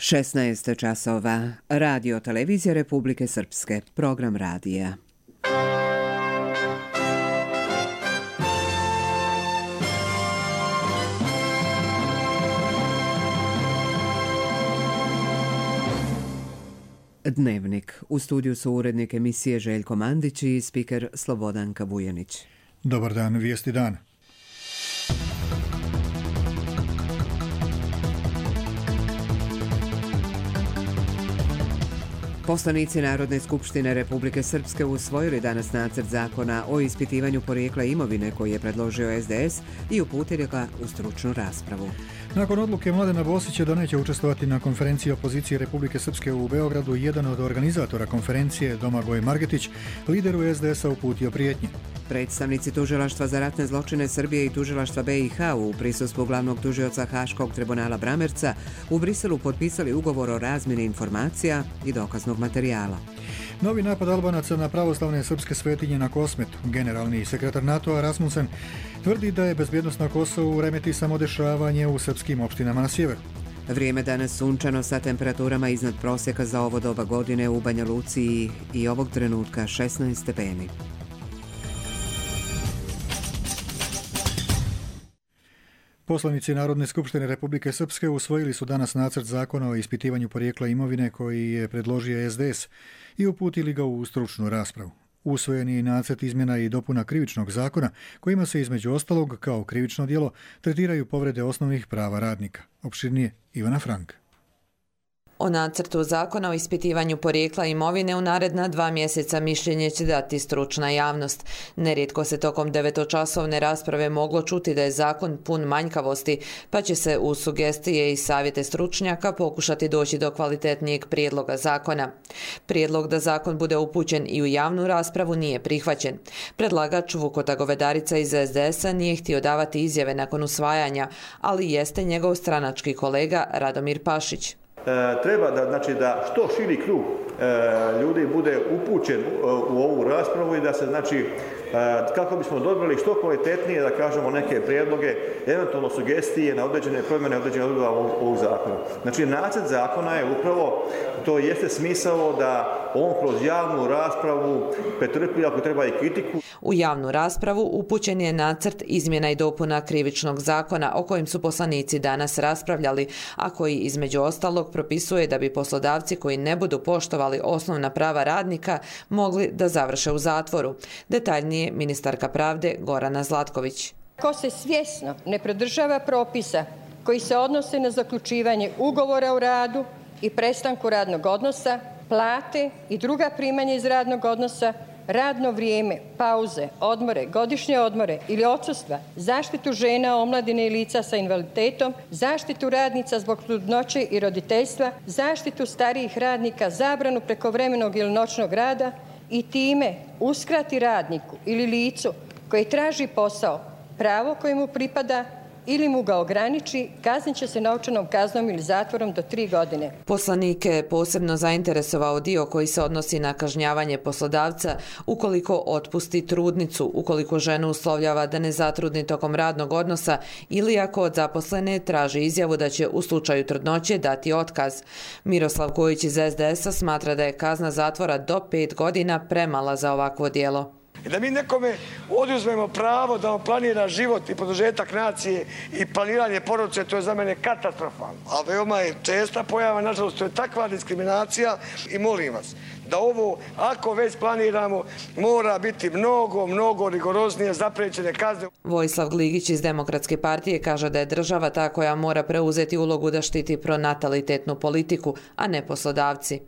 16 časova. Radio Televizija Republike Srpske. Program radija. Dnevnik. U studiju su urednik emisije Željko Mandić i spiker Slobodanka Vujanić. Dobar dan, vijesti dana. Poslanici Narodne skupštine Republike Srpske usvojili danas nacrt zakona o ispitivanju porijekla imovine koji je predložio SDS i uputili ga u stručnu raspravu. Nakon odluke Mladena Bosića da neće učestvovati na konferenciji opozicije Republike Srpske u Beogradu, jedan od organizatora konferencije, Domagoj Margetić, lideru SDS-a uputio prijetnje. Predstavnici Tužilaštva za ratne zločine Srbije i Tužilaštva BiH u prisustvu glavnog tužioca Haškog tribunala Bramerca u Briselu potpisali ugovor o razmjeni informacija i dokaznog materijala. Novi napad Albanaca na pravoslavne srpske svetinje na Kosmetu. Generalni sekretar NATO-a Rasmussen tvrdi da je bezbjednost na Kosovu remeti samodešavanje u srpskim opštinama na sjeveru. Vrijeme danas sunčano sa temperaturama iznad prosjeka za ovo doba godine u Banja Luci i ovog trenutka 16 stepeni. Poslanici Narodne skupštine Republike Srpske usvojili su danas nacrt zakona o ispitivanju porijekla imovine koji je predložio SDS i uputili ga u stručnu raspravu. Usvojen je nacrt izmjena i dopuna krivičnog zakona kojima se između ostalog kao krivično djelo tretiraju povrede osnovnih prava radnika. Opširnije Ivana Frank. O nacrtu zakona o ispitivanju porijekla imovine u naredna 2 mjeseca mišljenje će dati stručna javnost. Nerijetko se tokom 9-časovne rasprave moglo čuti da je zakon pun manjkavosti, pa će se uz sugestije i savjete stručnjaka pokušati doći do kvalitetnijeg prijedloga zakona. Prijedlog da zakon bude upućen i u javnu raspravu nije prihvaćen. Predlagač Vukota Govedarica iz SDS-a nije htio davati izjave nakon usvajanja, ali jeste njegov stranački kolega Radomir Pašić. Treba da što širi krug ljudi bude upućen u ovu raspravu i da se kako bismo dobili što kvalitetnije, da kažemo, neke prijedloge, eventualno sugestije na određene promjene, određene odredbe ovog zakona. Znači, nacrt zakona je upravo, to jeste smisao da on kroz javnu raspravu pretrpi, ako treba, i kritiku. U javnu raspravu upućen je nacrt izmjena i dopuna krivičnog zakona o kojim su poslanici danas raspravljali, a koji između ostalog propisuje da bi poslodavci koji ne budu poštovali osnovna prava radnika mogli da završe u zatvoru. Detaljnije ministarka pravde Gorana Zlatković. Ko se svjesno ne pridržava propisa koji se odnose na zaključivanje ugovora o radu i prestanku radnog odnosa, plate i druga primanja iz radnog odnosa, radno vrijeme, pauze, odmore, godišnje odmore ili odsustva, zaštitu žena, omladine i lica sa invaliditetom, zaštitu radnica zbog trudnoće i roditeljstva, zaštitu starijih radnika, zabranu prekovremenog ili noćnog rada i time uskrati radniku ili licu koji traži posao pravo koje mu pripada ili mu ga ograniči, kaznit će se novčanom kaznom ili zatvorom do 3 godine. Poslanike je posebno zainteresovao dio koji se odnosi na kažnjavanje poslodavca ukoliko otpusti trudnicu, ukoliko ženu uslovljava da ne zatrudni tokom radnog odnosa ili ako od zaposlene traži izjavu da će u slučaju trudnoće dati otkaz. Miroslav Kojić iz SDS-a smatra da je kazna zatvora do 5 godina premala za ovakvo djelo. I da mi nekome oduzmemo pravo da on planira život i produžetak nacije i planiranje porodice, to je za mene katastrofalno. A veoma je česta pojava, nažalost, to je takva diskriminacija i molim vas da ovo, ako već planiramo, mora biti mnogo rigoroznije zapriječene kazne. Vojislav Gligić iz Demokratske partije kaže da je država ta koja mora preuzeti ulogu da štiti pronatalitetnu politiku, a ne poslodavci.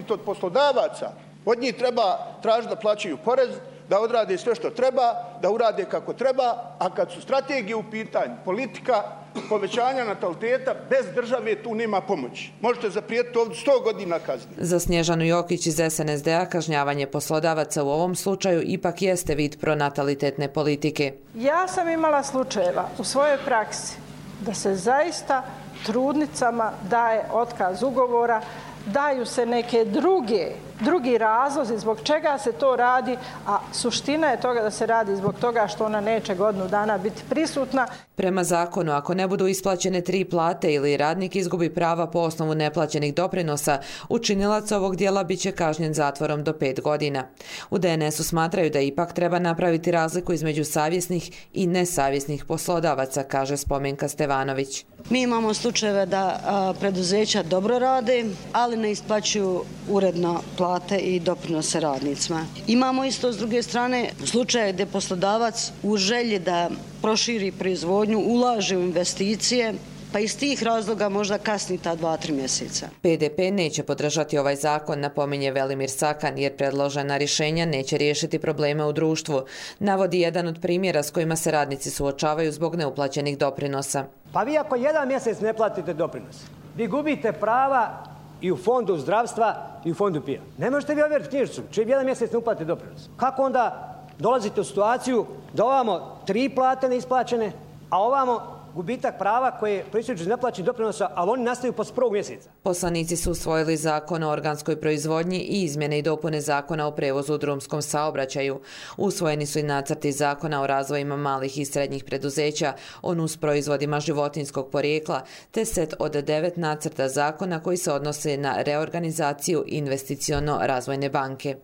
Od poslodavaca, od njih treba tražiti da plaćaju porez, da odrade sve što treba, da urade kako treba, a kad su strategije u pitanju, politika povećanja nataliteta, bez države tu nema pomoći. Možete zaprijetiti ovdje 100 godina kazne. Za Snježanu Jokić iz SNSD-a kažnjavanje poslodavaca u ovom slučaju ipak jeste vid pronatalitetne politike. Ja sam imala slučajeva u svojoj praksi da se zaista trudnicama daje otkaz ugovora, daju se neke druge drugi razlozi zbog čega se to radi, a suština je toga da se radi zbog toga što ona neće godinu dana biti prisutna. Prema zakonu, ako ne budu isplaćene 3 plate ili radnik izgubi prava po osnovu neplaćenih doprinosa, učinilac ovog dijela biće kažnjen zatvorom do 5 godina. U DNS-u smatraju da ipak treba napraviti razliku između savjesnih i nesavjesnih poslodavaca, kaže Spomenka Stevanović. Mi imamo slučajeve da preduzeća dobro rade, ali ne isplaćuju uredno plate i doprinose radnicima. Imamo isto s druge strane slučaje gdje poslodavac u želji da proširi proizvodnju ulaže u investicije, pa iz tih razloga možda kasni ta 2-3 mjeseca. PDP neće podržati ovaj zakon, napominje Velimir Sakan, jer predložena rješenja neće riješiti probleme u društvu. Navodi jedan od primjera s kojima se radnici suočavaju zbog neuplaćenih doprinosa. Pa vi ako 1 mjesec ne platite doprinos, vi gubite prava i u fondu zdravstva i u fondu PIO. Ne možete vi ovjeriti knjižicu, čim 1 mjesec ne uplatite doprinos. Kako onda dolazite u situaciju da ovamo 3 plate neisplaćene, a ovamo gubitak prava koje proističu iz neplaćenih doprinosa, ali oni nastaju posle 1. mjeseca. Poslanici su usvojili zakon o organskoj proizvodnji i izmjene i dopune zakona o prevozu u drumskom saobraćaju. Usvojeni su i nacrti zakona o razvojima malih i srednjih preduzeća, o nusproizvodima životinjskog porijekla, te set od 9 nacrta zakona koji se odnose na reorganizaciju investiciono-razvojne banke.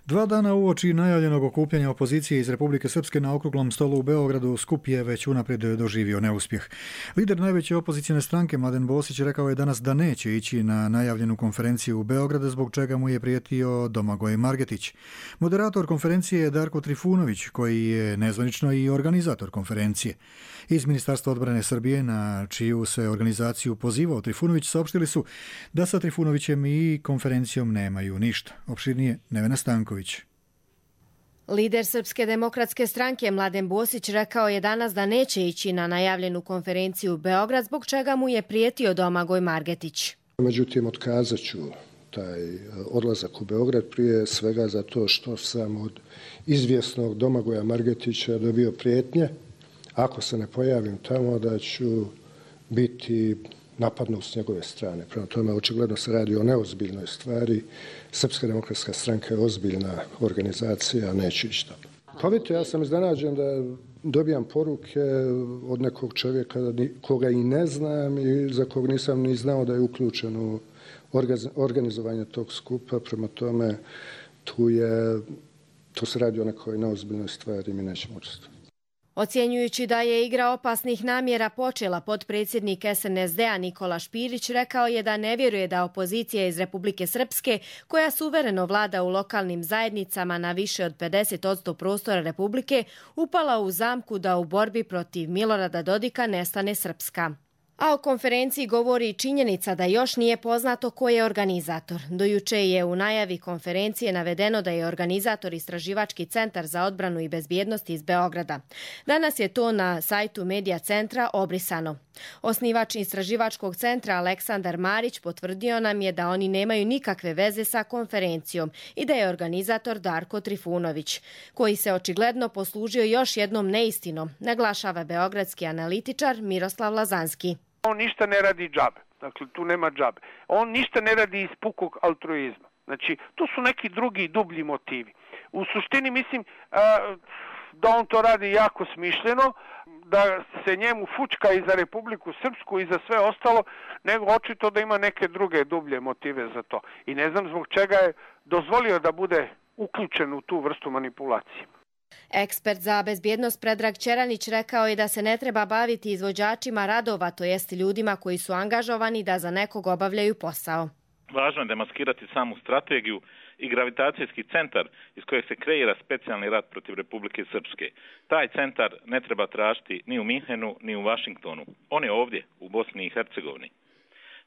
2 dana uoči najavljenog okupljanja opozicije iz Republike Srpske na okruglom stolu u Beogradu, skup je već unaprijed doživio neuspjeh. Lider najveće opozicijne stranke Mladen Bosić rekao je danas da neće ići na najavljenu konferenciju u Beogradu, zbog čega mu je prijetio Domagoj Margetić. Moderator konferencije je Darko Trifunović, koji je nezvanično i organizator konferencije. Iz Ministarstva odbrane Srbije, na čiju se organizaciju pozivao Trifunović, saopštili su da sa Trifunovićem i konferencijom nemaju ništa. Opširnije Nevena Stanković. Lider Srpske demokratske stranke Mladen Bosić rekao je danas da neće ići na najavljenu konferenciju u Beograd, zbog čega mu je prijetio Domagoj Margetić. Međutim, otkazat ću taj odlazak u Beograd prije svega zato što sam od izvjesnog Domagoja Margetića dobio prijetnje. Ako se ne pojavim tamo, da ću biti napadnut s njegove strane. Prema tome, očigledno se radi o neozbiljnoj stvari. Srpska demokratska stranka je ozbiljna organizacija, a neću ići tamo. Pa vidite, ja sam iznenađen da dobijam poruke od nekog čovjeka koga i ne znam i za kog nisam ni znao da je uključen u organizovanje tog skupa. Prema tome, tu se radi o nekoj neozbiljnoj stvari i mi nećemo učestvovati. Ocjenjujući da je igra opasnih namjera počela, potpredsjednik SNSD-a Nikola Špirić rekao je da ne vjeruje da opozicija iz Republike Srpske, koja suvereno vlada u lokalnim zajednicama na više od 50% prostora Republike, upala u zamku da u borbi protiv Milorada Dodika nestane Srpska. A o konferenciji govori i činjenica da još nije poznato ko je organizator. Do juče je u najavi konferencije navedeno da je organizator Istraživački centar za odbranu i bezbjednost iz Beograda. Danas je to na sajtu Medija centra obrisano. Osnivač Istraživačkog centra Aleksandar Marić potvrdio nam je da oni nemaju nikakve veze sa konferencijom i da je organizator Darko Trifunović, koji se očigledno poslužio još jednom neistinom, naglašava beogradski analitičar Miroslav Lazanski. On ništa ne radi džabe, dakle tu nema džabe. On ništa ne radi iz pukog altruizma. Znači, tu su neki drugi dublji motivi. U suštini mislim da on to radi jako smišljeno, da se njemu fučka i za Republiku Srpsku i za sve ostalo, nego očito da ima neke druge dublje motive za to. I ne znam zbog čega je dozvolio da bude uključen u tu vrstu manipulacije. Ekspert za bezbjednost Predrag Ćeranić rekao je da se ne treba baviti izvođačima radova, to jest ljudima koji su angažovani da za nekog obavljaju posao. Važno je demaskirati samu strategiju i gravitacijski centar iz kojeg se kreira specijalni rat protiv Republike Srpske. Taj centar ne treba tražiti ni u Minhenu, ni u Vašingtonu. On je ovdje, u Bosni i Hercegovini.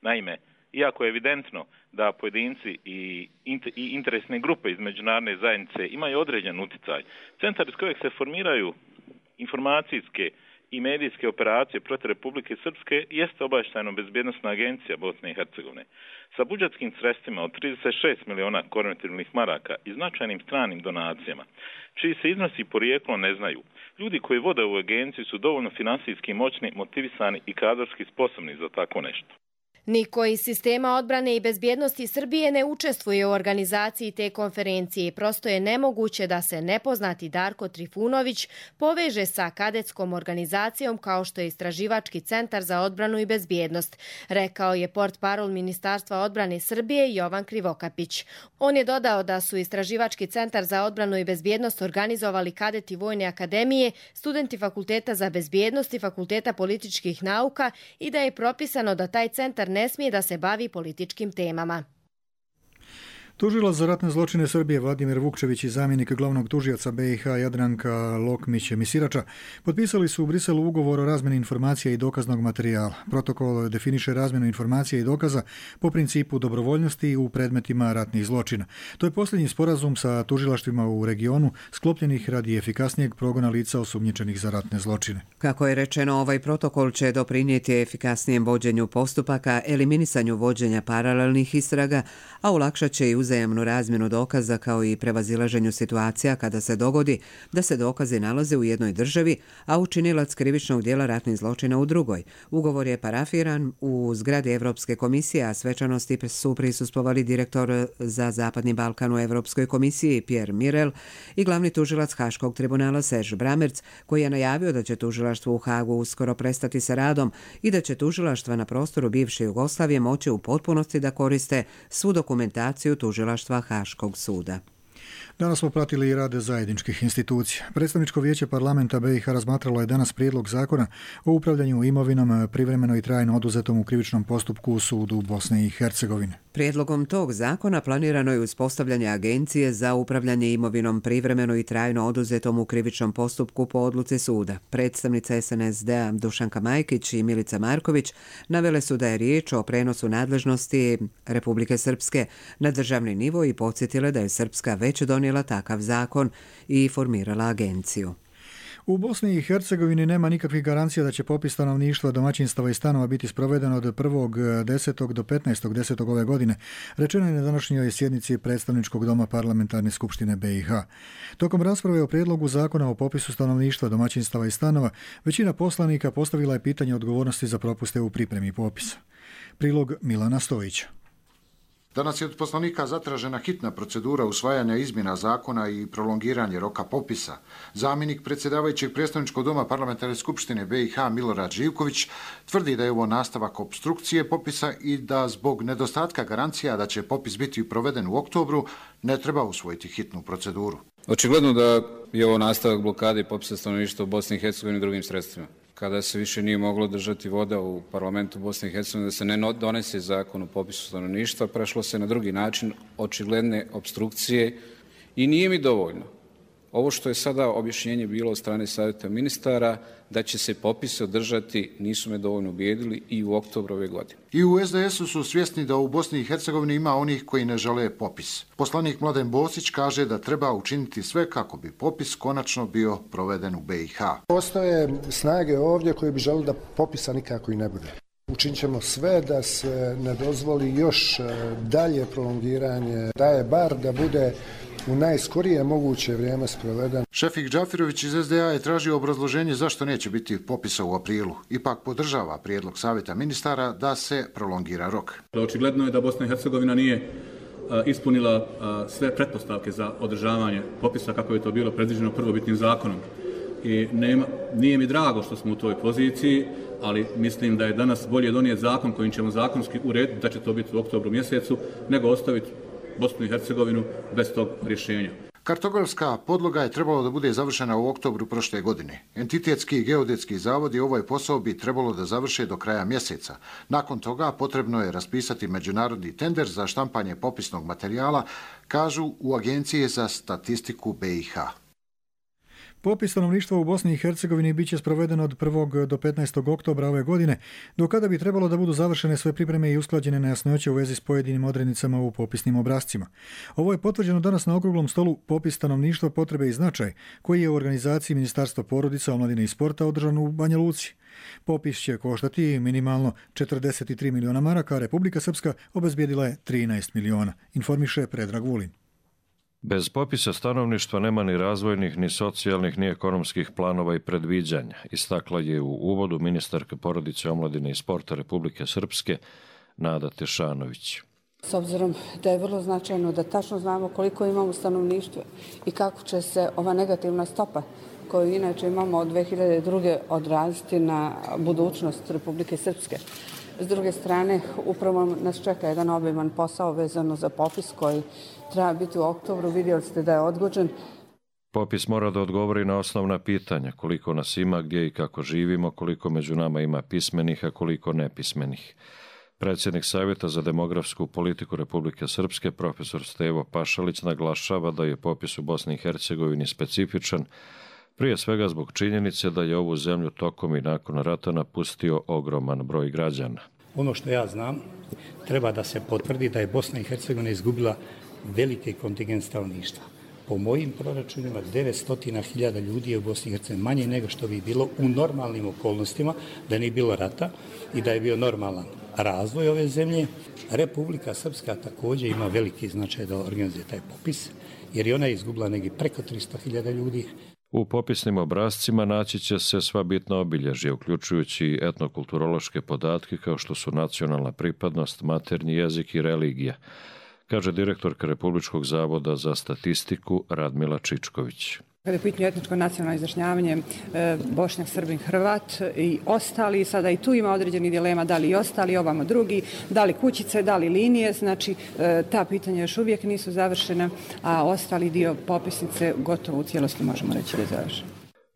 Naime, iako je evidentno da pojedinci i interesne grupe iz međunarodne zajednice imaju određen utjecaj, centar iz kojeg se formiraju informacijske i medijske operacije protiv Republike Srpske jeste Obavještajno-bezbjednosna agencija Bosne i Hercegovine. Sa budžetskim sredstvima od 36 miliona konvertibilnih maraka i značajnim stranim donacijama, čiji se iznosi porijeklo ne znaju, ljudi koji vode ovu agenciju su dovoljno finansijski moćni, motivisani i kadrovski sposobni za tako nešto. Niko iz sistema odbrane i bezbjednosti Srbije ne učestvuje u organizaciji te konferencije i prosto je nemoguće da se nepoznati Darko Trifunović poveže sa kadetskom organizacijom kao što je Istraživački centar za odbranu i bezbjednost, rekao je portparol Ministarstva odbrane Srbije Jovan Krivokapić. On je dodao da su Istraživački centar za odbranu i bezbjednost organizovali kadeti Vojne akademije, studenti Fakulteta za bezbjednost i Fakulteta političkih nauka i da je propisano da taj centar ne smije da se bavi političkim temama. Tužilac za ratne zločine Srbije Vladimir Vukčević i zamjenik glavnog tužioca BiH Jadranka Lokmić-Misirača potpisali su u Briselu ugovor o razmjeni informacija i dokaznog materijala. Protokol definiše razmjenu informacija i dokaza po principu dobrovoljnosti u predmetima ratnih zločina. To je posljednji sporazum sa tužilaštvima u regionu sklopljenih radi efikasnijeg progona lica osumnjičenih za ratne zločine. Kako je rečeno, ovaj protokol će doprinijeti efikasnijem vođenju postupaka, eliminisanju vođenja paralelnih istraga, a olakšat će i uzajamnu razmjenu dokaza kao i prevazilaženju situacija kada se dogodi da se dokazi nalaze u jednoj državi, a učinilac krivičnog djela ratnih zločina u drugoj. Ugovor je parafiran u zgradi Evropske komisije, a svečanosti su prisustvovali direktor za Zapadni Balkan u Evropskoj komisiji Pierre Mirel i glavni tužilac Haškog tribunala Serge Bramerc, koji je najavio da će tužilaštvo u Hagu uskoro prestati sa radom i da će tužilaštva na prostoru bivše Jugoslavije moći u potpunosti da koriste svu dokumentaciju tužilaštva Haškog suda. Danas smo pratili i rad zajedničkih institucija. Predstavničko vijeće parlamenta BiH razmatralo je danas prijedlog zakona o upravljanju imovinom privremeno i trajno oduzetom u krivičnom postupku u sudu Bosne i Hercegovine. Prijedlogom tog zakona planirano je uspostavljanje agencije za upravljanje imovinom privremeno i trajno oduzetom u krivičnom postupku po odluci suda. Predstavnica SNSD-a Dušanka Majkić i Milica Marković navele su da je riječ o prenosu nadležnosti Republike Srpske na državni nivo i podsjetile da je Srpska već donijela takav zakon i formirala agenciju. U Bosni i Hercegovini nema nikakvih garancija da će popis stanovništva, domaćinstava i stanova biti sproveden od 1.10. do 15.10. ove godine, rečeno je na današnjoj sjednici Predstavničkog doma Parlamentarne skupštine BiH. Tokom rasprave o prijedlogu zakona o popisu stanovništva, domaćinstava i stanova, većina poslanika postavila je pitanje odgovornosti za propuste u pripremi popisa. Prilog Milana Stojića. Danas je od poslanika zatražena hitna procedura usvajanja izmjena zakona i prolongiranje roka popisa. Zamjenik predsjedavajućeg Predstavničkog doma Parlamentarne skupštine BiH Milorad Živković tvrdi da je ovo nastavak opstrukcije popisa i da zbog nedostatka garancija da će popis biti proveden u oktobru ne treba usvojiti hitnu proceduru. Očigledno da je ovo nastavak blokade popisa stanovništva u Bosni i Hercegovini i drugim sredstvima. Kada se više nije moglo držati voda u parlamentu Bosne i Hercegovine, da se ne donese zakon o popisu stanovništva, prešlo se na drugi način očigledne opstrukcije i nije mi dovoljno. Ovo što je sada objašnjenje bilo od strane savjeta ministara da će se popis održati, nisu me dovoljno ubijedili i u oktobru ove godine. I u SDS-u su svjesni da u Bosni i Hercegovini ima onih koji ne žele popis. Poslanik Mladen Bosić kaže da treba učiniti sve kako bi popis konačno bio proveden u BiH. Postoje snage ovdje koji bi želeli da popisa nikako i ne bude. Učinit ćemo sve da se ne dozvoli još dalje prolongiranje, da je bar da bude u najskorije moguće vrijeme sproveden. Šefik Džafirović iz SDA je tražio obrazloženje zašto neće biti popisa u aprilu. Ipak podržava prijedlog savjeta ministara da se prolongira rok. Očigledno je da Bosna i Hercegovina nije ispunila sve pretpostavke za održavanje popisa kako je to bilo predviđeno prvobitnim zakonom. I nije mi drago što smo u toj poziciji, ali mislim da je danas bolje donijeti zakon kojim ćemo zakonski urediti da će to biti u oktobru mjesecu, nego ostaviti Bosnu i Hercegovinu bez tog rješenja. Kartografska podloga je trebalo da bude završena u oktobru prošle godine. Entitetski i geodetski zavodi ovaj posao bi trebalo da završe do kraja mjeseca. Nakon toga potrebno je raspisati međunarodni tender za štampanje popisnog materijala, kažu u Agenciji za statistiku BiH. Popis stanovništva u Bosni i Hercegovini bit će sproveden od 1. do 15. oktobra ove godine, do kada bi trebalo da budu završene sve pripreme i usklađene nejasnoće u vezi s pojedinim odrednicama u popisnim obrascima. Ovo je potvrđeno danas na okruglom stolu Popis stanovništva, potrebe i značaj, koji je u organizaciji Ministarstva porodica, omladine i sporta održan u Banja Luci. Popis će koštati minimalno 43 miliona maraka, a Republika Srpska obezbijedila je 13 miliona, informiše Predrag Vulin. Bez popisa stanovništva nema ni razvojnih, ni socijalnih, ni ekonomskih planova i predviđanja, istakla je u uvodu ministarka porodice, omladine i sporta Republike Srpske Nada Tešanović. S obzirom da je vrlo značajno da tačno znamo koliko imamo stanovništva i kako će se ova negativna stopa koju inače imamo od 2002. odraziti na budućnost Republike Srpske. S druge strane, upravo nas čeka jedan obiman posao vezano za popis koji treba biti u oktobru. Vidjeli ste da je odgođen. Popis mora da odgovori na osnovna pitanja, koliko nas ima, gdje i kako živimo, koliko među nama ima pismenih, a koliko nepismenih. Predsjednik Savjeta za demografsku politiku Republike Srpske, profesor Stevo Pašalić, naglašava da je popis u Bosni i Hercegovini specifičan, prije svega zbog činjenice da je ovu zemlju tokom i nakon rata napustio ogroman broj građana. Ono što ja znam, treba da se potvrdi da je Bosna i Hercegovina izgubila veliki kontingent stanovništva. Po mojim proračunima 900.000 ljudi je u Bosni i Hercegovini manje nego što bi bilo u normalnim okolnostima, da nije bilo rata i da je bio normalan razvoj ove zemlje. Republika Srpska također ima veliki značaj da organizuje taj popis, jer je ona izgubila negdje preko 300.000 ljudi. U popisnim obrascima naći će se sva bitna obilježja, uključujući etnokulturološke podatke kao što su nacionalna pripadnost, maternji jezik i religija, kaže direktorka Republičkog zavoda za statistiku Radmila Čičković. Kada je pitanje etničko nacionalno izjašnjavanje Bošnjak, Srbin, Hrvat i ostali, sada i tu ima određenih dilema, da li i ostali, ovamo drugi, da li kućice, da li linije, znači ta pitanja još uvijek nisu završena, a ostali dio popisnice gotovo u cijelosti možemo reći da je završen.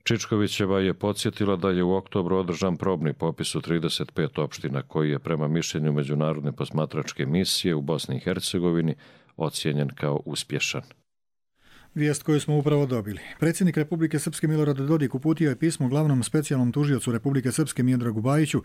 Čičkovićeva je podsjetila da je u oktobru održan probni popis u 35 opština koji je prema mišljenju Međunarodne posmatračke misije u Bosni i Hercegovini ocijenjen kao uspješan. Vijest koju smo upravo dobili. Predsjednik Republike Srpske Milorad Dodik uputio je pismo glavnom specijalnom tužiocu Republike Srpske Miodragu Bajiću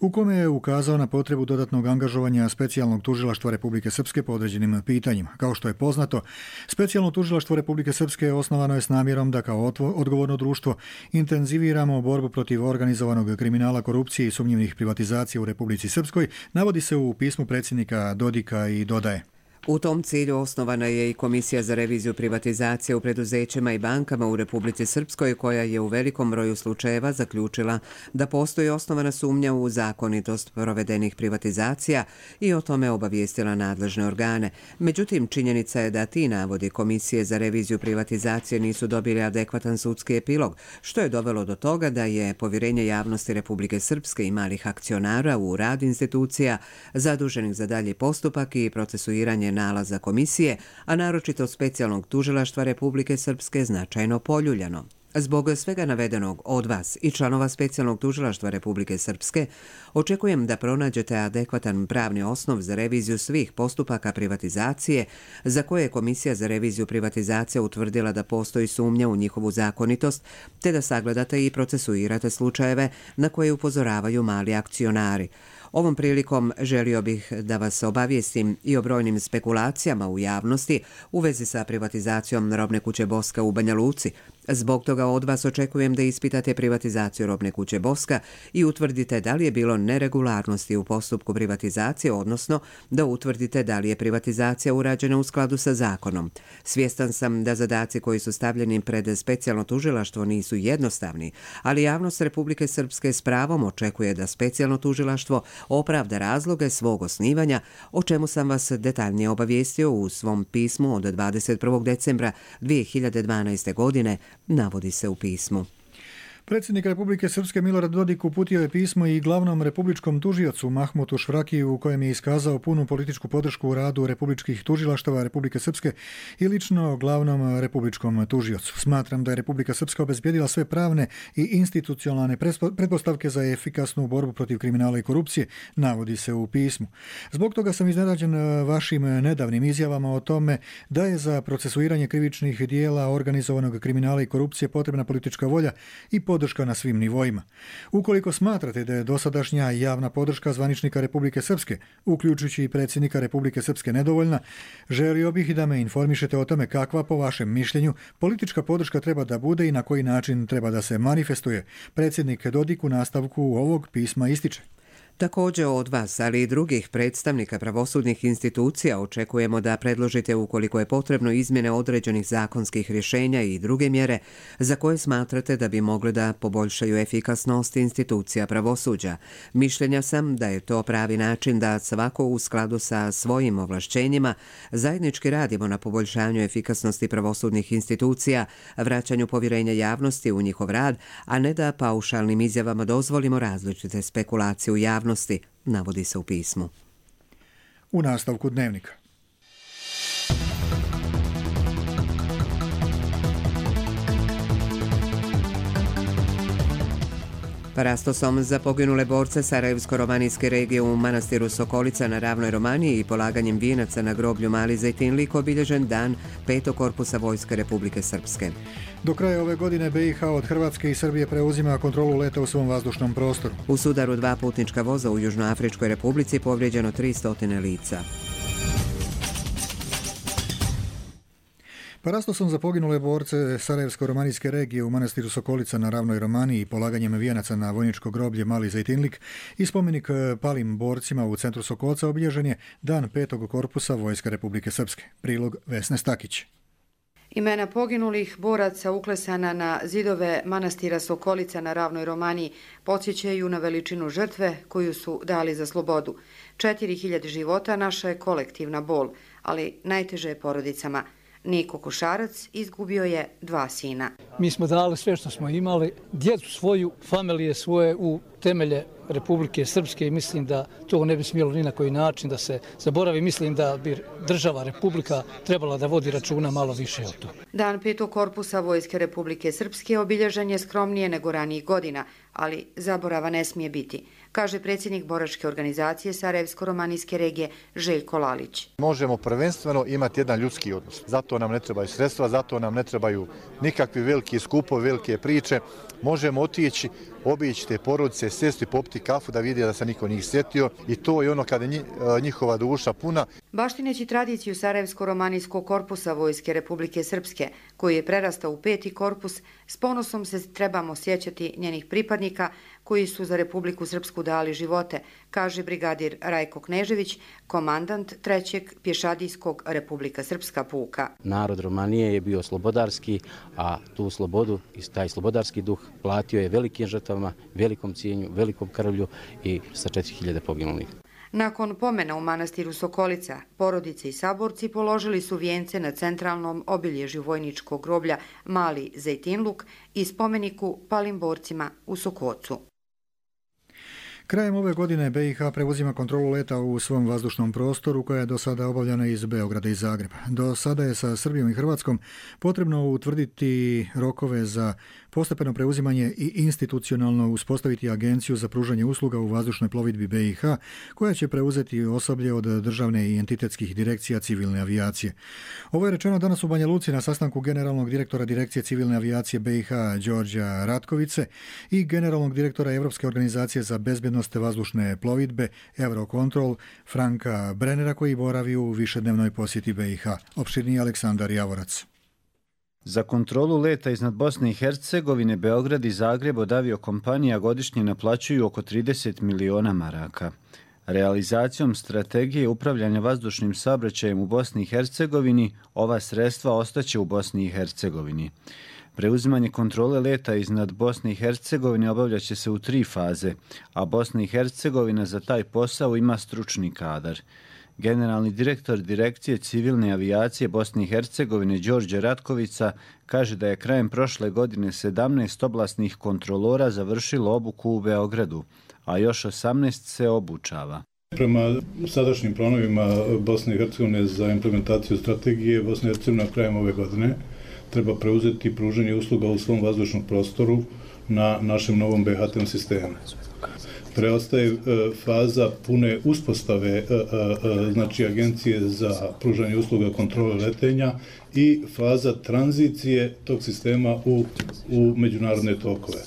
u kome je ukazao na potrebu dodatnog angažovanja specijalnog tužilaštva Republike Srpske po određenim pitanjima. Kao što je poznato, specijalno tužilaštvo Republike Srpske osnovano je s namjerom da kao odgovorno društvo intenziviramo borbu protiv organizovanog kriminala, korupcije i sumnjivih privatizacija u Republici Srpskoj, navodi se u pismu predsjednika Dodika i dodaje. U tom cilju osnovana je i Komisija za reviziju privatizacije u preduzećima i bankama u Republici Srpskoj, koja je u velikom broju slučajeva zaključila da postoji osnovana sumnja u zakonitost provedenih privatizacija i o tome obavijestila nadležne organe. Međutim, činjenica je da ti navodi Komisije za reviziju privatizacije nisu dobili adekvatan sudski epilog, što je dovelo do toga da je povjerenje javnosti Republike Srpske i malih akcionara u rad institucija zaduženih za dalji postupak i procesuiranje nalaza komisije, a naročito specijalnog tužilaštva Republike Srpske, značajno poljuljano. Zbog svega navedenog od vas i članova specijalnog tužilaštva Republike Srpske očekujem da pronađete adekvatan pravni osnov za reviziju svih postupaka privatizacije za koje je Komisija za reviziju privatizacije utvrdila da postoji sumnja u njihovu zakonitost, te da sagledate i procesuirate slučajeve na koje upozoravaju mali akcionari. Ovom prilikom želio bih da vas obavijestim i o brojnim spekulacijama u javnosti u vezi sa privatizacijom robne kuće Boska u Banja Luci. Zbog toga od vas očekujem da ispitate privatizaciju robne kuće Boska i utvrdite da li je bilo neregularnosti u postupku privatizacije, odnosno da utvrdite da li je privatizacija urađena u skladu sa zakonom. Svjestan sam da zadaci koji su stavljeni pred specijalno tužilaštvo nisu jednostavni, ali javnost Republike Srpske s pravom očekuje da specijalno tužilaštvo opravda razloge svog osnivanja, o čemu sam vas detaljnije obavijestio u svom pismu od 21. decembra 2012. godine, navodi se u pismu. Predsjednik Republike Srpske Milorad Dodik uputio je pismo i glavnom republičkom tužiocu Mahmutu Švrakiju u kojem je iskazao punu političku podršku u radu republičkih tužilaštava Republike Srpske i lično glavnom republičkom tužiocu. Smatram da je Republika Srpska obezbjedila sve pravne i institucionalne pretpostavke za efikasnu borbu protiv kriminala i korupcije, navodi se u pismu. Zbog toga sam iznenađen vašim nedavnim izjavama o tome da je za procesuiranje krivičnih dijela organizovanog kriminala i korupcije potrebna politička volja i podrška na svim nivoima. Ukoliko smatrate da je dosadašnja javna podrška zvaničnika Republike Srpske, uključujući i predsjednika Republike Srpske, nedovoljna, želio bih da me informišete o tome kakva, po vašem mišljenju, politička podrška treba da bude i na koji način treba da se manifestuje. Predsjednik Dodik u nastavku ovog pisma ističe. Također od vas, ali i drugih predstavnika pravosudnih institucija očekujemo da predložite ukoliko je potrebno izmjene određenih zakonskih rješenja i druge mjere za koje smatrate da bi mogle da poboljšaju efikasnost institucija pravosuđa. Mišljenja sam da je to pravi način da svako u skladu sa svojim ovlašćenjima zajednički radimo na poboljšanju efikasnosti pravosudnih institucija, vraćanju povjerenja javnosti u njihov rad, a ne da paušalnim izjavama dozvolimo različite spekulacije u javnosti, navodi se u pismu. U nastavku dnevnika. Parastosom za poginule borce Sarajevsko-romanijske regije u manastiru Sokolica na Ravnoj Romaniji i polaganjem vijenaca na groblju Mali Zejtinlik obilježen dan 5. korpusa Vojske Republike Srpske. Do kraja ove godine BiH od Hrvatske i Srbije preuzima kontrolu leta u svom vazdušnom prostoru. U sudaru 2 putnička voza u Južnoafričkoj Republici povrijeđeno 300 lica. Parastosom za poginule borce Sarajevsko-romanijske regije u manastiru Sokolica na Ravnoj Romaniji i polaganjem vijenaca na vojničko groblje Mali Zejtinlik i spomenik palim borcima u centru Sokolca obilježen je dan 5. korpusa Vojske Republike Srpske. Prilog Vesne Stakić. Imena poginulih boraca uklesana na zidove manastira Sokolica na Ravnoj Romaniji podsjećaju na veličinu žrtve koju su dali za slobodu. 4000 života naša je kolektivna bol, ali najteže je porodicama. Niko Košarac izgubio je 2 sina. Mi smo dali sve što smo imali, djecu svoju, familije svoje u temelje Republike Srpske i mislim da to ne bi smjelo ni na koji način da se zaboravi. Mislim da bi država Republika trebala da vodi računa malo više o to. Dan 5. korpusa Vojske Republike Srpske obilježen je skromnije nego ranijih godina, ali zaborava ne smije biti, kaže predsjednik boračke organizacije Sarajevsko-romanijske regije Željko Lalić. Možemo prvenstveno imati jedan ljudski odnos. Zato nam ne trebaju sredstva, zato nam ne trebaju nikakvi veliki skupovi, velike priče. Možemo otići, obići te porodice, sjesti, popiti kafu da vidi da se niko njih sjetio i to je ono kada je njihova duša puna. Baštineći tradiciju Sarajevsko-romanijskog korpusa Vojske Republike Srpske, koji je prerastao u 5. korpus, s ponosom se trebamo sjećati njenih pripadnika koji su za Republiku Srpsku dali živote, kaže brigadir Rajko Knežević, komandant 3. pješadijskog Republika Srpska puka. Narod Romanije je bio slobodarski, a tu slobodu i taj slobodarski duh platio je velikim žrtvama, velikom cijenju, velikom krvlju i sa 4000 poginulih. Nakon pomena u manastiru Sokolica, porodice i saborci položili su vijence na centralnom obilježju vojničkog groblja Mali Zejtinluk i spomeniku palim borcima u Sokocu. Krajem ove godine BiH preuzima kontrolu leta u svom vazdušnom prostoru koja je do sada obavljana iz Beograda i Zagreba. Do sada je sa Srbijom i Hrvatskom potrebno utvrditi rokove za postepeno preuzimanje i institucionalno uspostaviti agenciju za pružanje usluga u vazdušnoj plovidbi BiH koja će preuzeti osoblje od državne i entitetskih direkcija civilne avijacije. Ovo je rečeno danas u Banja Luci na sastanku generalnog direktora Direkcije civilne avijacije BiH Đorđa Ratkovice i generalnog direktora Evropske organizacije za bezbjednost vazdušne plovidbe Eurocontrol Franka Brennera koji boravi u višednevnoj posjeti BiH. Opširniji Aleksandar Javorac. Za kontrolu leta iznad Bosne i Hercegovine, Beograd i Zagreb od aviokompanija godišnje naplaćuju oko 30 miliona maraka. Realizacijom strategije upravljanja vazdušnim saobraćajem u Bosni i Hercegovini ova sredstva ostaće u Bosni i Hercegovini. Preuzimanje kontrole leta iznad Bosne i Hercegovine obavljaće se u 3 faze, a Bosna i Hercegovina za taj posao ima stručni kadar. Generalni direktor Direkcije civilne avijacije Bosne i Hercegovine Đorđe Ratkovica kaže da je krajem prošle godine 17 oblastnih kontrolora završilo obuku u Beogradu, a još 18 se obučava. Prema sadašnjim planovima Bosne i Hercegovine za implementaciju strategije, Bosna i Hercegovina krajem ove godine treba preuzeti pružanje usluga u svom vazdušnom prostoru na našem novom BHT sistemu. Preostaje faza pune uspostave znači agencije za pružanje usluga kontrole letenja i faza tranzicije tog sistema u međunarodne tokove.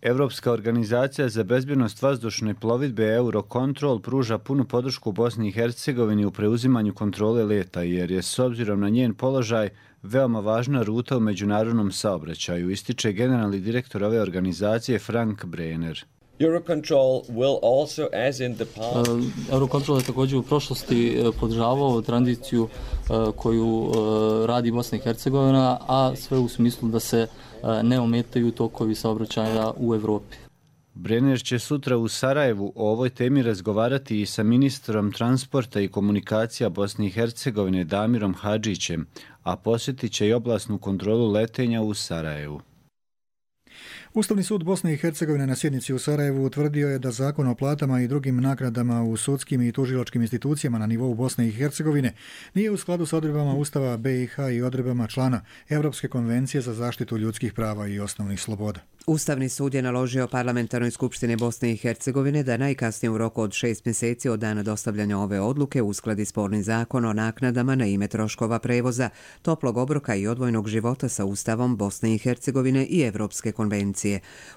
Evropska organizacija za bezbjednost vazdušne plovidbe Eurocontrol pruža punu podršku Bosni i Hercegovini u preuzimanju kontrole leta jer je s obzirom na njen položaj veoma važna ruta u međunarodnom saobraćaju, ističe generalni direktor ove organizacije Frank Brenner. Eurocontrol je također u prošlosti podržavao tranziciju koju radi Bosna i Hercegovina, a sve u smislu da se ne ometaju tokovi saobraćaja u Evropi. Brenner će sutra u Sarajevu o ovoj temi razgovarati i sa ministrom transporta i komunikacija Bosne i Hercegovine Damirom Hadžićem, a posjetit će i oblastnu kontrolu letenja u Sarajevu. Ustavni sud Bosne i Hercegovine na sjednici u Sarajevu utvrdio je da Zakon o platama i drugim naknadama u sudskim i tužilačkim institucijama na nivou Bosne i Hercegovine nije u skladu s odredbama Ustava BiH i odredbama člana Europske konvencije za zaštitu ljudskih prava i osnovnih sloboda. Ustavni sud je naložio Parlamentarnoj skupštini Bosne i Hercegovine da najkasnije u roku od 6 mjeseci od dana dostavljanja ove odluke uskladi sporni zakon o naknadama na ime troškova prevoza, toplog obroka i odvojnog života sa Ustavom Bosne i Hercegovine i Europske konvencije.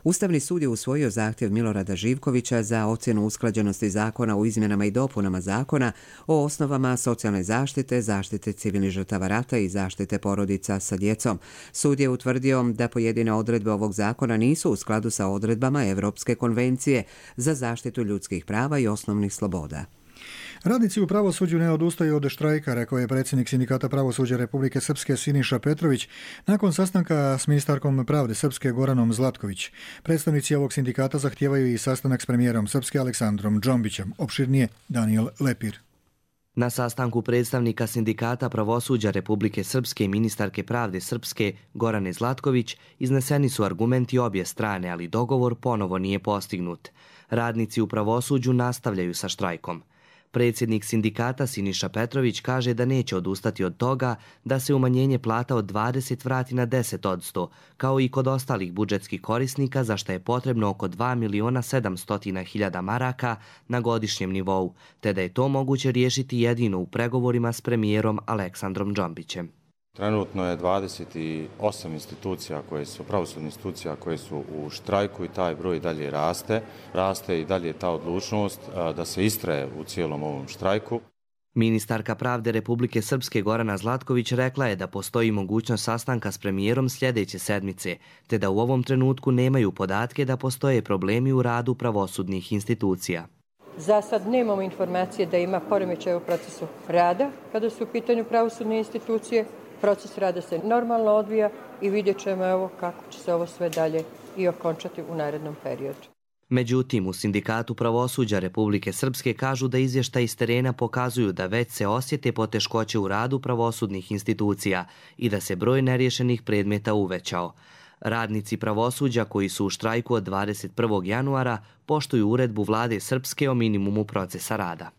Ustavni sud je usvojio zahtjev Milorada Živkovića za ocjenu usklađenosti zakona o izmjenama i dopunama zakona o osnovama socijalne zaštite, zaštite civilnih žrtava rata i zaštite porodica sa djecom. Sud je utvrdio da pojedine odredbe ovog zakona nisu u skladu sa odredbama Europske konvencije za zaštitu ljudskih prava i osnovnih sloboda. Radnici u pravosuđu ne odustaju od štrajka, rekao je predsjednik Sindikata pravosuđa Republike Srpske Siniša Petrović nakon sastanka s ministarkom pravde Srpske Goranom Zlatković. Predstavnici ovog sindikata zahtijevaju i sastanak s premijerom Srpske Aleksandrom Džombićem. Opširnije Daniel Lepir. Na sastanku predstavnika Sindikata pravosuđa Republike Srpske i ministarke pravde Srpske Gorane Zlatković izneseni su argumenti obje strane, ali dogovor ponovo nije postignut. Radnici u pravosuđu nastavljaju sa štrajkom. Predsjednik sindikata Siniša Petrović kaže da neće odustati od toga da se umanjenje plata od 20 vrati na 10%, kao i kod ostalih budžetskih korisnika, za što je potrebno oko 2.700.000 maraka na godišnjem nivou, te da je to moguće riješiti jedino u pregovorima s premijerom Aleksandrom Džombićem. Trenutno je 28 institucija pravosudnih institucija koje su u štrajku i taj broj dalje raste. Raste i dalje ta odlučnost da se istraje u cijelom ovom štrajku. Ministarka pravde Republike Srpske Gorana Zlatković rekla je da postoji mogućnost sastanka s premijerom sljedeće sedmice, te da u ovom trenutku nemaju podatke da postoje problemi u radu pravosudnih institucija. Za sad nemamo informacije da ima poremećaj u procesu rada kada su u pitanju pravosudne institucije. Proces rada se normalno odvija i vidjet ćemo kako će se ovo sve dalje i okončati u narednom periodu. Međutim, u Sindikatu pravosuđa Republike Srpske kažu da izvještaji iz terena pokazuju da već se osjete poteškoće u radu pravosudnih institucija i da se broj neriješenih predmeta uvećao. Radnici pravosuđa koji su u štrajku od 21. januara poštuju uredbu vlade Srpske o minimumu procesa rada.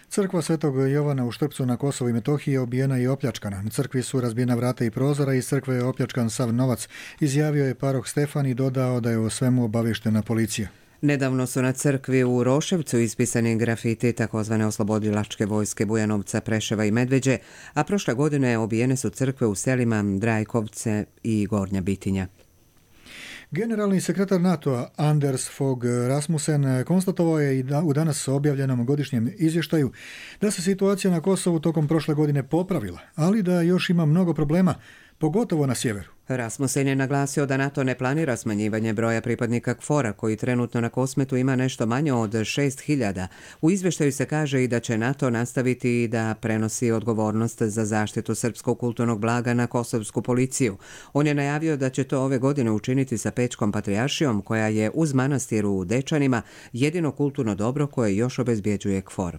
Crkva Svetog Jovana u Štrpcu na Kosovu i Metohiji je obijena i opljačkana. Na crkvi su razbijena vrata i prozora i iz crkve je opljačkan sav novac, izjavio je paroh Stefan i dodao da je o svemu obavještena policija. Nedavno su na crkvi u Roševcu ispisani grafiti takozvane oslobodilačke vojske Bujanovca, Preševa i Medveđe, a prošle godine obijene su crkve u selima Drajkovce i Gornja Bitinja. Generalni sekretar NATO-a Anders Fogh Rasmussen konstatovao je i u danas objavljenom godišnjem izvještaju da se situacija na Kosovu tokom prošle godine popravila, ali da još ima mnogo problema, pogotovo na sjeveru. Rasmussen je naglasio da NATO ne planira smanjivanje broja pripadnika KFOR-a, koji trenutno na Kosmetu ima nešto manje od 6.000. U izvještaju se kaže i da će NATO nastaviti da prenosi odgovornost za zaštitu srpskog kulturnog blaga na kosovsku policiju. On je najavio da će to ove godine učiniti sa Pečkom patrijaršijom, koja je uz manastir u Dečanima jedino kulturno dobro koje još obezbjeđuje KFOR.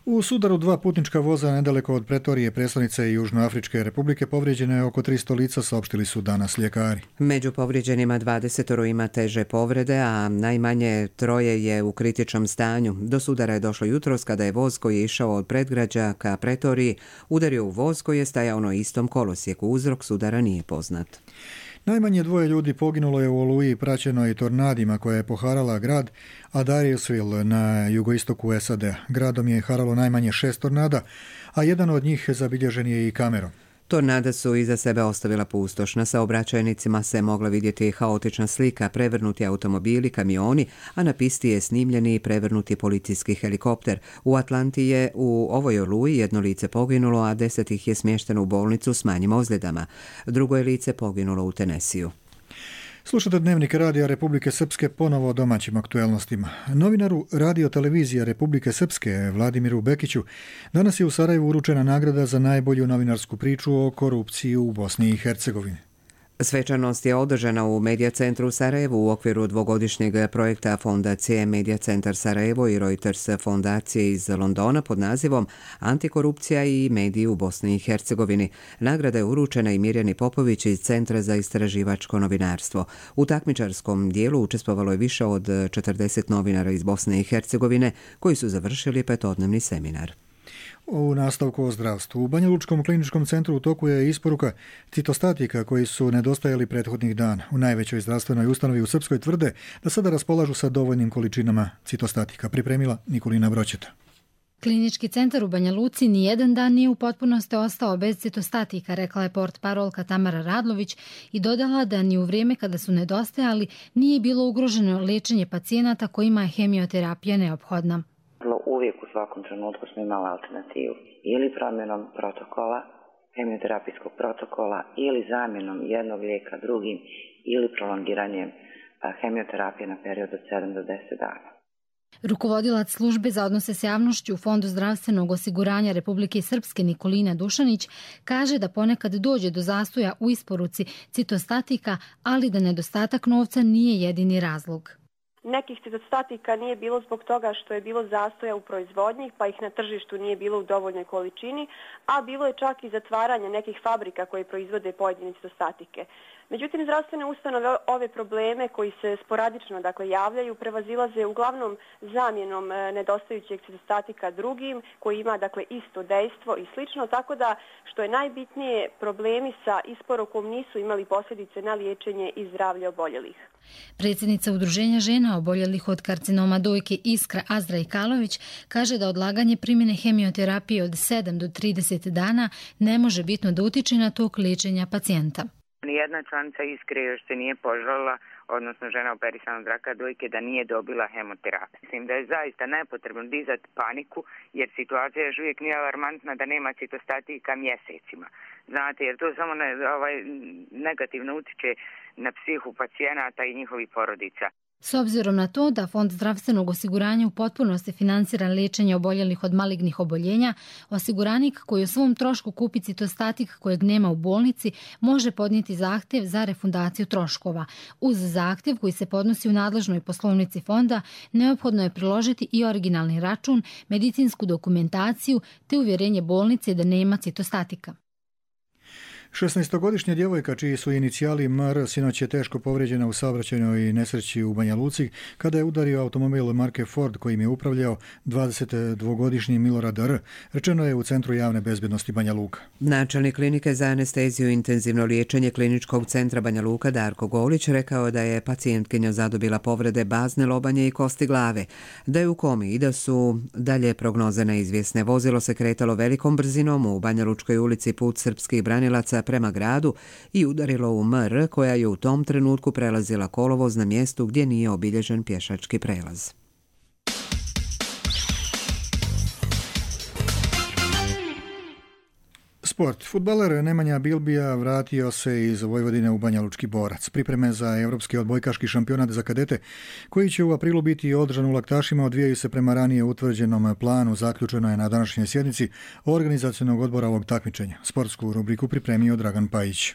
U sudaru 2 putnička voza nedaleko od Pretorije, prestonice Južnoafričke republike, povrijeđeno je oko 300 lica, saopštili su danas ljekari. Među povrijeđenima 20 ima teže povrede, a najmanje 3 je u kritičnom stanju. Do sudara je došlo jutros kada je voz koji je išao od predgrađa ka Pretoriji udario u voz koji je stajao na istom kolosijeku. Uzrok sudara nije poznat. Najmanje 2 ljudi poginulo je u oluji praćenoj tornadima koja je poharala grad Adairsville na jugoistoku SAD-a. Gradom je haralo najmanje 6 tornada, a jedan od njih zabilježen je i kamerom. Tornada su iza sebe ostavila pustoš. Na saobraćajnicima se mogla vidjeti haotična slika, prevrnuti automobili, kamioni, a na pisti je snimljeni i prevrnuti policijski helikopter. U Atlanti je u ovoj oluji 1 lice poginulo, a 10 ih je smješteno u bolnicu s manjim ozljedama. Drugo je lice poginulo u Tenesiju. Slušate Dnevnik radija Republike Srpske, ponovo o domaćim aktuelnostima. Novinaru Radio televizije Republike Srpske Vladimiru Bekiću danas je u Sarajevu uručena nagrada za najbolju novinarsku priču o korupciji u Bosni i Hercegovini. Svečanost je održana u Medija centru u Sarajevu u okviru dvogodišnjeg projekta Fondacije Medija centar Sarajevo i Reuters fondacije iz Londona pod nazivom Antikorupcija i mediji u Bosni i Hercegovini. Nagrada je uručena i Mirjani Popović iz Centra za istraživačko novinarstvo. U takmičarskom dijelu učestvovalo je više od 40 novinara iz Bosne i Hercegovine koji su završili 5-dnevni seminar. U nastavku o zdravstvu. U Banja Lučkom kliničkom centru u toku je isporuka citostatika koji su nedostajali prethodnih dana. U najvećoj zdravstvenoj ustanovi u Srpskoj tvrde da sada raspolažu sa dovoljnim količinama citostatika. Pripremila Nikolina Broćeta. Klinički centar u Banja Luci nijedan dan nije u potpunosti ostao bez citostatika, rekla je portparolka Tamara Radlović i dodala da ni u vrijeme kada su nedostajali nije bilo ugroženo liječenje pacijenata kojima je hemioterapija neophodna. Uvijek u svakom trenutku smo imali alternativu ili promjenom protokola, hemioterapijskog protokola ili zamjenom jednog lijeka drugim ili prolongiranjem hemioterapije na period od 7 do 10 dana. Rukovodilac službe za odnose s javnošću u Fondu zdravstvenog osiguranja Republike Srpske Nikolina Dušanić kaže da ponekad dođe do zastoja u isporuci citostatika, ali da nedostatak novca nije jedini razlog. Nekih citostatika nije bilo zbog toga što je bilo zastoja u proizvodnji, pa ih na tržištu nije bilo u dovoljnoj količini, a bilo je čak i zatvaranje nekih fabrika koje proizvode pojedine citostatike. Međutim, zdravstvene ustanove ove probleme koji se sporadično javljaju prevazilaze uglavnom zamjenom nedostajućeg citostatika drugim koji ima isto dejstvo i slično, tako da što je najbitnije problemi sa isporukom nisu imali posljedice na liječenje i zdravlje oboljelih. Predsjednica Udruženja žena oboljelih od karcinoma dojke Iskra Azra Ikalović kaže da odlaganje primjene hemioterapije od 7 do 30 dana ne može bitno da utiče na tok liječenja pacijenta. Nijedna članica Iskre još se nije požalila, odnosno žena operisana od raka dojke, da nije dobila hemoterapiju. Mislim da je zaista nepotrebno dizati paniku, jer situacija još uvijek nije alarmantna da nema citostatika mjesecima. Znate, jer to samo negativno utiče na psihu pacijenata i njihovih porodica. S obzirom na to da Fond zdravstvenog osiguranja u potpunosti finansira liječenje oboljelih od malignih oboljenja, osiguranik koji o svom trošku kupi citostatik kojeg nema u bolnici može podnijeti zahtjev za refundaciju troškova. Uz zahtjev koji se podnosi u nadležnoj poslovnici fonda, neophodno je priložiti i originalni račun, medicinsku dokumentaciju te uvjerenje bolnice da nema citostatika. 16-godišnja djevojka čiji su inicijali MR sinoć je teško povrijeđena u saobraćajnoj nesreći u Banja Luci kada je udario automobil marke Ford kojim je upravljao 22-godišnji Milorad R. Rečeno je u Centru javne bezbjednosti Banja Luka. Načelnik klinike za anesteziju i intenzivno liječenje Kliničkog centra Banja Luka Darko Golić rekao da je pacijentkinja zadobila povrede bazne lobanje i kosti glave, da je u komi i da su dalje prognoze neizvjesne. Vozilo se kretalo velikom brzinom u Banja Lučkoj ulici put srpskih branilaca prema gradu i udarilo u MR koja je u tom trenutku prelazila kolovoz na mjestu gdje nije obilježen pješački prelaz. Sport. Fudbaler Nemanja Bilbija vratio se iz Vojvodine u Banja Lučki Borac. Pripreme za Europski odbojkaški šampionat za kadete, koji će u aprilu biti održan u Laktašima, odvijaju se prema ranije utvrđenom planu, zaključeno je na današnjoj sjednici organizacionog odbora ovog takmičenja. Sportsku rubriku pripremio Dragan Pajić.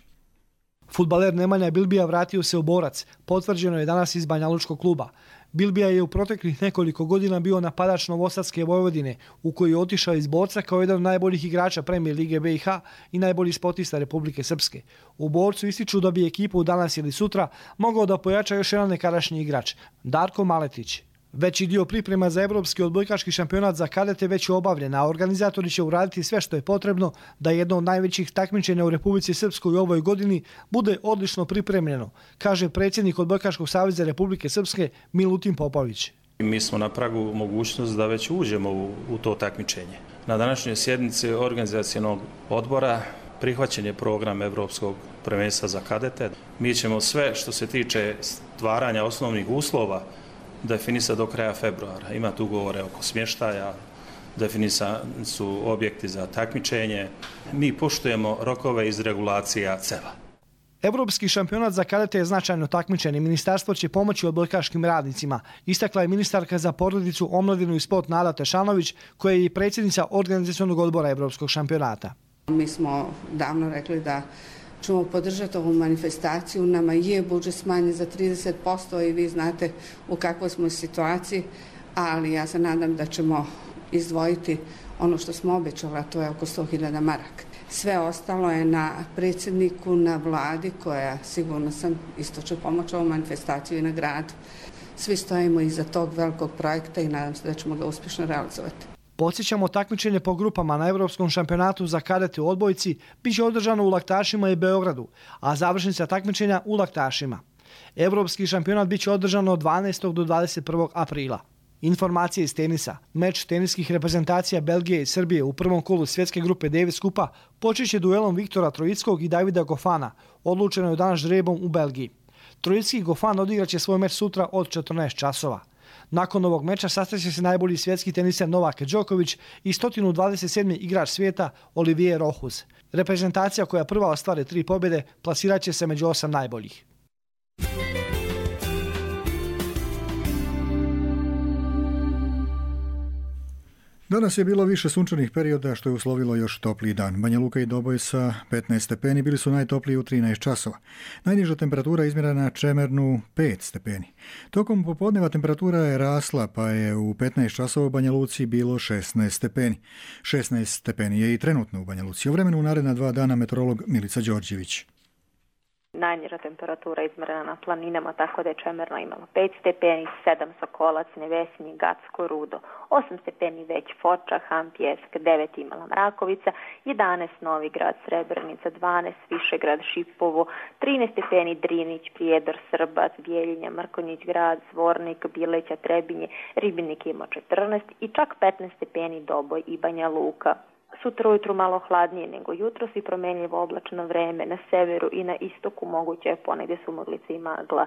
Fudbaler Nemanja Bilbija vratio se u Borac, potvrđeno je danas iz Banja Lučkog kluba. Bilbija je u proteklih nekoliko godina bio napadač Novosadske Vojvodine, u koji je otišao iz Borca kao jedan od najboljih igrača Premijer Lige BiH i najbolji sportista Republike Srpske. U Borcu ističu da bi ekipu danas ili sutra mogao da pojača još jedan nekadašnji igrač, Darko Maletić. Veći dio priprema za Evropski odbojkaški šampionat za kadete već je obavljen, a organizatori će uraditi sve što je potrebno da jedno od najvećih takmičenja u Republici Srpskoj u ovoj godini bude odlično pripremljeno, kaže predsjednik Odbojkaškog saveza Republike Srpske Milutin Popović. Mi smo na pragu mogućnost da već uđemo u to takmičenje. Na današnjoj sjednici organizacionog odbora prihvaćen je program Evropskog prvenstva za kadete. Mi ćemo sve što se tiče stvaranja osnovnih uslova definisati do kraja februara. Ima tu ugovore oko smještaja, definisani su objekti za takmičenje. Mi poštujemo rokove iz regulacija CEVA. Evropski šampionat za kadete je značajno takmičenje. Ministarstvo će pomoći odbojkaškim radnicima. Istakla je ministarka za porodicu, omladinu i sport Nada Tešanović, koja je i predsjednica organizacionog odbora Evropskog šampionata. Mi smo davno rekli da ćemo podržati ovu manifestaciju. Nama je budžet smanjen za 30% i vi znate u kakvoj smo situaciji, ali ja se nadam da ćemo izdvojiti ono što smo obećali, a to je oko 100.000 maraka. Sve ostalo je na predsjedniku, na vladi koja, sigurno sam, isto će pomoći ovu manifestaciju i na gradu. Svi stojimo iza tog velikog projekta i nadam se da ćemo ga uspješno realizovati. Podsjećamo, takmičenje po grupama na Evropskom šampionatu za kadete u odbojci biće održano u Laktašima i Beogradu, a završnica takmičenja u Laktašima. Evropski šampionat biće održano od 12. do 21. aprila. Informacije iz tenisa. Meč teniskih reprezentacija Belgije i Srbije u prvom kolu svjetske grupe Davis Kupa počeće duelom Viktora Trojickog i Davida Gofana. Odlučeno je danas žrebom u Belgiji. Trojicki i Gofan odigraće svoj meč sutra od 14 časova. Nakon ovog meča sastaće se najbolji svjetski teniser Novak Đoković i 127. igrač svijeta Olivier Rohuz. Reprezentacija koja prva ostvare 3 pobjede plasirat će se među 8 najboljih. Danas je bilo više sunčanih perioda što je uslovilo još topliji dan. Banja Luka i Doboj sa 15 stepeni bili su najtopliji u 13 časova. Najniža temperatura izmjerena na Čemernu 5 stepeni. Tokom popodneva temperatura je rasla pa je u 15 časova u Banja Luci bilo 16 stepeni. 16 stepeni je i trenutno u Banja Luci. O vremenu u naredna 2 dana meteorolog Milica Đorđević. Najniža temperatura izmjerena na planinama, tako da je Čemerna imala 5 stepeni, 7 Sokolac, Nevesinje, Gacko, Rudo, 8 stepeni već Foča, Han, Pjesk, 9 imala Mrakovica, 11 Novigrad, Srebrenica, 12 Višegrad, Šipovo, 13 stepeni Drinić, Prijedor, Srbac, Bijeljinja, Mrkonjić grad, Zvornik, Bileća, Trebinje, Ribinik ima 14 i čak 15 stepeni Doboj i Banja Luka. Sutra ujutru malo hladnije nego jutros i promjenljivo oblačno vreme. Na severu i na istoku moguće je ponegdje sumaglice i magla.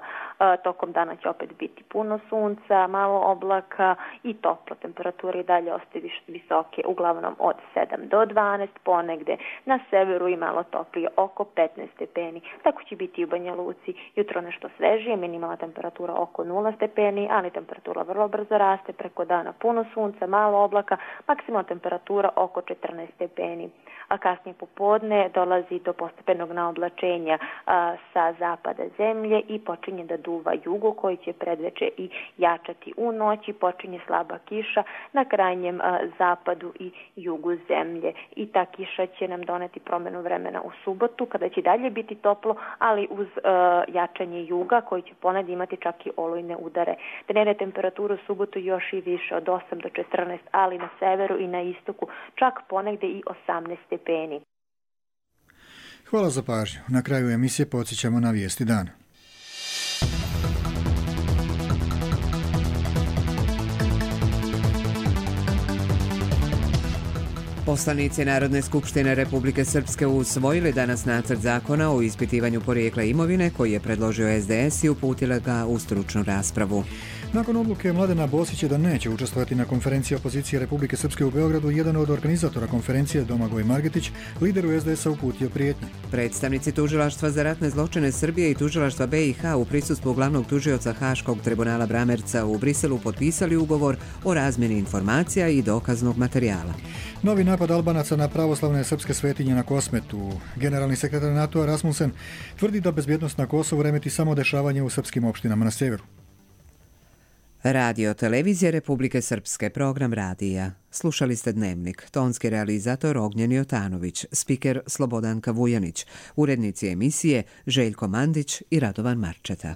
Tokom dana će opet biti puno sunca, malo oblaka i toplo. Temperature i dalje ostaju visoke, uglavnom od 7 do 12, ponegdje na severu i malo toplije, oko 15 stepeni. Tako će biti i u Banja Luci. Jutro nešto svežije, minimalna temperatura oko 0 stepeni, ali temperatura vrlo brzo raste, preko dana puno sunca, malo oblaka, maksimalna temperatura oko 14 stepeni, a kasnije popodne dolazi do postepenog naoblačenja sa zapada zemlje i počinje da duva jugo koji će predveče i jačati u noći, počinje slaba kiša na krajnjem zapadu i jugu zemlje i ta kiša će nam doneti promjenu vremena u subotu kada će dalje biti toplo, ali uz jačanje juga koji će ponad imati čak i olujne udare. Dnevne temperature u subotu još i više od 8 do 14, ali na severu i na istoku čak ponegde i 18 stepeni. Hvala za pažnju. Na kraju emisije podsjećamo na vijesti dana. Poslanici Narodne skupštine Republike Srpske usvojili danas nacrt zakona o ispitivanju porijekla imovine koji je predložio SDS i uputila ga u stručnu raspravu. Nakon odluke Mladena Bosića da neće učestvovati na konferenciji opozicije Republike Srpske u Beogradu, jedan od organizatora konferencije, Domagoj Margetić, lideru SDS-a uputio prijetnje. Predstavnici Tužilaštva za ratne zločine Srbije i Tužilaštva BiH u prisustvu glavnog tužioca Haškog tribunala Bramerca u Briselu potpisali ugovor o razmjeni informacija i dokaznog materijala. Novi napad Albanaca na pravoslavne srpske svetinje na Kosmetu. Generalni sekretar NATO-a Rasmussen tvrdi da bezbjednost na Kosovu remeti samo dešavanje u srpskim opštinama na severu. Radio Televizije Republike Srpske, program radija. Slušali ste Dnevnik, tonski realizator Ognjen Jotanović, spiker Slobodanka Vujanić, urednici emisije Željko Mandić i Radovan Marčeta.